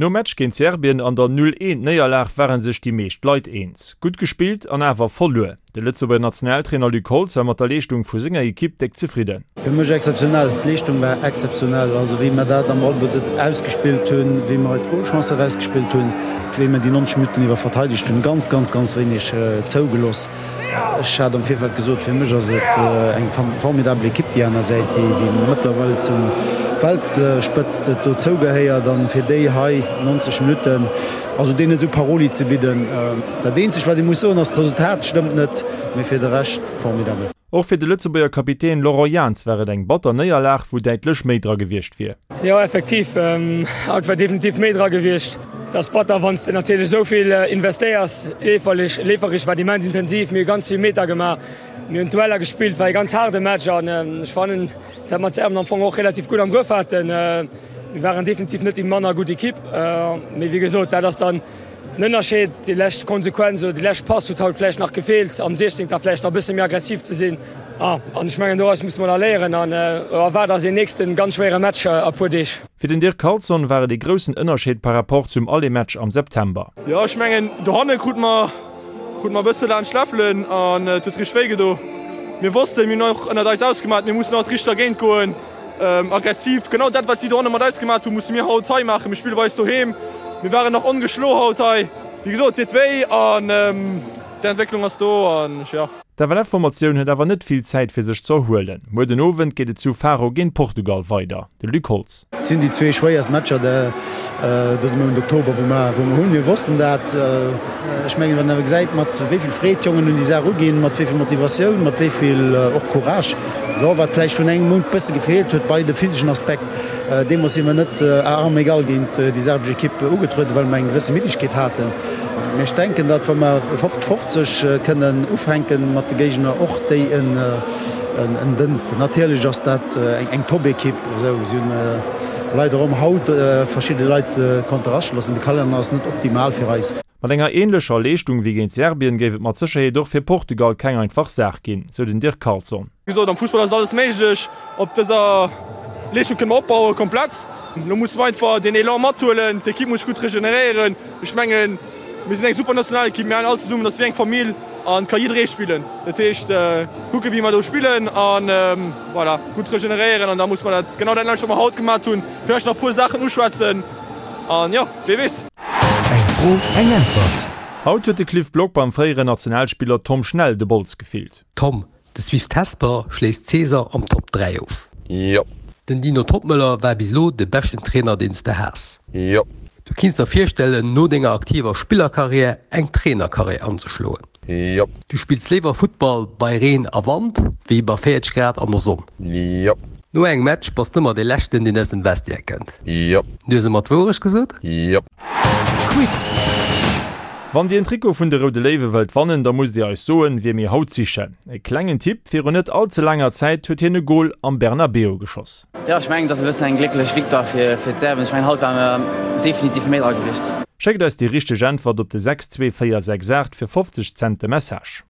Nom Match géint Serbien an der 0, 1 Néierlag ware sech déi meescht Leit eens, gutt gespillt an awer verluer. De Lëtzebuerger Nationaltrainer Luc Holtz war mat der Leeschtung vu senger Ekipp déck zefridden. Fir mech exzeptionell, d'Leeschtung war exzeptionell. Also wéi mer dat am Ballbesëtz ausgespillt hunn, wéi mer eis Golchancen erausgespillt hunn, wéi mer déi 90 Minutten iwwer verteidegt hunn, ganz, ganz, ganz wéineg zougeloss. Ech hat am Virfeld gesot, fir mech ass et eng formidabel Ekipp déi aner Säit, déi mëttlerweil zum Weltspëtzt dozou gehéiert an fir déi hei 90 Minutten, also deenen esou Paroli ze bidden. Dat eenzegt wat ee muss soen ass, d'Resultat stëmmt net, mee fir de Rescht formidabel. Och fir de Lëtzebuerger Kapitän Laurent Jans war et eng batter Néierlag, wou däitlech méi dra gewiescht wier. Jo effektiv, haut war definitiv méi dra gewiescht. Et ass batter wann s de natierlech esou vill investéiers. Leeferlech, leefereg war et immens intensiv, mir hu ganz vill Meter gemaach, mir hunn d'Dueller gespillt, war ee ganz haarde Match an ech fannen, dat mer d'Serben am Fong och relativ gutt am Grëff haten. Mir waren definitiv net déi manner gutt Ekipp, mee wéi gesot, dat ass dann Den Ënnerscheed, déi lescht Konsequenz oder déi lescht Pass huet haut vläicht nach gefeelt, am 16. vläicht nach e bësse méi aggressiv ze sinn. An ech mengen, doraus musse mer da léieren an erwaart eis een nächste ganz schwéiere Match a puer Deeg. Fir den Dirk Carlson war et ee groussen Ënnerscheed par rapport zum Aller-Match am September. Jo, ech mengen dohanne krute mer krute mer e bësse laanscht d'Läffelen an et huet richteg wéi gedo. Mir wossten, mir hunn och ënnert eis ausgemat, mir mussen haut richteg dergéint goen. Aggressiv, genau dat wat si dohanne mat eis gemaat hunn, musse mir haut hei maachen. Mir spille bei eis doheem, mir waren nach ongeschlo haut hei. Wéi gesot, deet wéi an d'Entwécklung ass do an jo. D'FLF-Formatioun huet awer net vill Zäit fir sech ze erhuelen. Muer den Owend geet et zu Faro géint Portugal weider. De Luc Holtz. Et sinn déi zwee schwéierst Matcher dëse Mount Oktober wou mer hunn. Mir wossten dat. Ech mengen, wann een awer gesäit, mat wéi vill Freed d'Jongen un déi Saach uginn, mat wéi vill Motivatioun, mat wéi vill och Courage, Jo, wat vläicht vun engem Mount bësse gefeelt huet bei de physeschen Aspekt. Deemools si mer net à armes égales géint déi serbesch Ekipp ugetrueden, well mer eng gewësse Middegkeet haten. Mee ech denken, datt wa mer 50, 50 kënnen ufänke mat de Géigner, och déi en Dënsten. Natierlech ass dat eng Top-Ekipp. Si hunn leider och haut verschidde Leit konnte rascht loossen. De Kalenner ass net optimal fir eis. Mat enger änlecher Leeschtung wéi géint Serbien géif et mat Sécherheet och fir Portugal keng einfach Saach ginn, sou den Dirk Carlson. Wéi gesot, am Fussball ass alles méiglech. Op dëser Leeschtung kënne mer opbauen, komplett. Elo musse mer einfach deen Elan mathuelen, d'Ekipp muss sech gutt regeneréieren. Ech mengen, mir sinn eng super Nationalekipp, mir halen all zesummen, dat ass wéi eng Famill an et ka jidderee spillen. Dat heescht, kucken, wéi mer do spillen an voilà, gutt regeneréieren an da musse mer dat genau dat nämmlecht, wat mer haut gemat hunn, vläicht nach e puer Saachen uschwätzen an jo, wee weess. Eng Fro, eng Äntwert! Haut huet de Cliff Block beim fréieren Nationalspiller Tom Schnell de Bols gefillt. Tom, De Swift Hesper schléisst Cesar am Top 3 of. Jo. Den Dino Toppmöller war bis elo de beschten Trainer deen s de has. Jo. Du kinns der virstellen no denger aktiver Spillerkarriär eng Trainerkarriär anzeschloen. Jo. Du spills léiwer Futtball bei Reen a Wand wéi bei 40 Grad an der Sonn. Jo. No engem Match bass d'ëmmer dee leschten deen aus dem Vestiaire kënnt. Jo. Du hues ëmmer d'Wourecht gesot? Jo. Quiz! Wann dir en Trikot vun de Roude Léiwe wëllt wannen, da musst dir eis soen, wie mir haut sichen. E klengen Tipp, Virun net all ze laanger Zäit huet hien e Gol am Bernabeu geschoss. Jo, ech mengen et ass e bëssen eng glécklech Victoire fir fir d'Serben. Ech mengen haut ware mer definitiv méi dra gewiescht. Schéckt eis déi richteg Äntwert op de 62468 fir 50 Cent de Message.